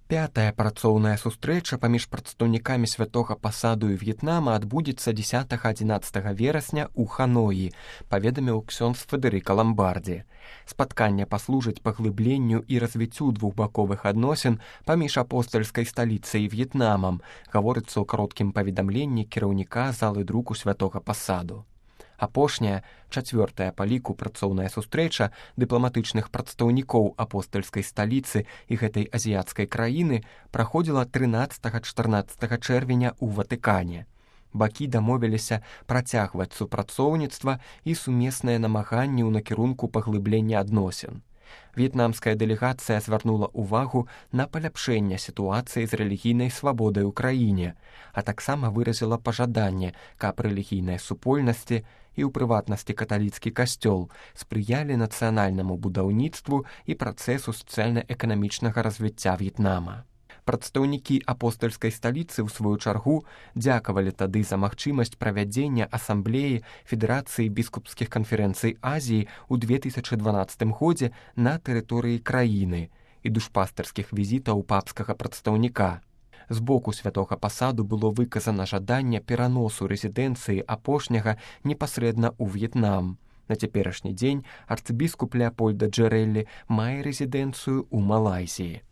Пятая працоўная сустрэча паміж прадстаўнікамі святога пасаду і В'етнама адбудзецца 10-11 верасня ў Ханоі, паведаміў ксёндз Федэрыка Ламбардзі. Спатканне паслужыць паглыбленню і развіццю двухбаковых адносін паміж апостальскай сталіцай і В'етнамам, гаворыцца ў кароткім паведамленні кіраўніка залы друку святога пасаду. Апошняя, чацвёртая па ліку працоўная сустрэча дыпламатычных прадстаўнікоў апостальскай сталіцы і гэтай азіяцкай краіны праходзіла 13-14 чэрвеня ў Ватыкане. Бакі дамовіліся працягваць супрацоўніцтва і сумесныя намаганні ў накірунку паглыблення адносін. В'етнамская дэлегацыя звярнула ўвагу на паляпшэнне сітуацыі з рэлігійнай свабодай у краіне, а таксама выразіла пажаданне, каб рэлігійнай супольнасці і ў прыватнасці каталіцкі касцёл спрыялі нацыянальнаму будаўніцтву і працэсу сацыяльна-эканамічнага развіцця В'етнама. Прадстаўнікі апостальскай сталіцы, ў сваю чаргу, дзякавалі тады за магчымасць правядзення асамблеі Федэрацыі біскупскіх канферэнцый Азіі ў 2012 годзе на тэрыторыі краіны і душпастарскіх візітаў папскага прадстаўніка. З боку святога пасаду было выказана жаданне пераносу рэзідэнцыі апошняга непасрэдна ў В'етнам. На цяперашні дзень арцыбіскуп Леапольда Джэрэлі мае рэзідэнцыю ў Малайзіі.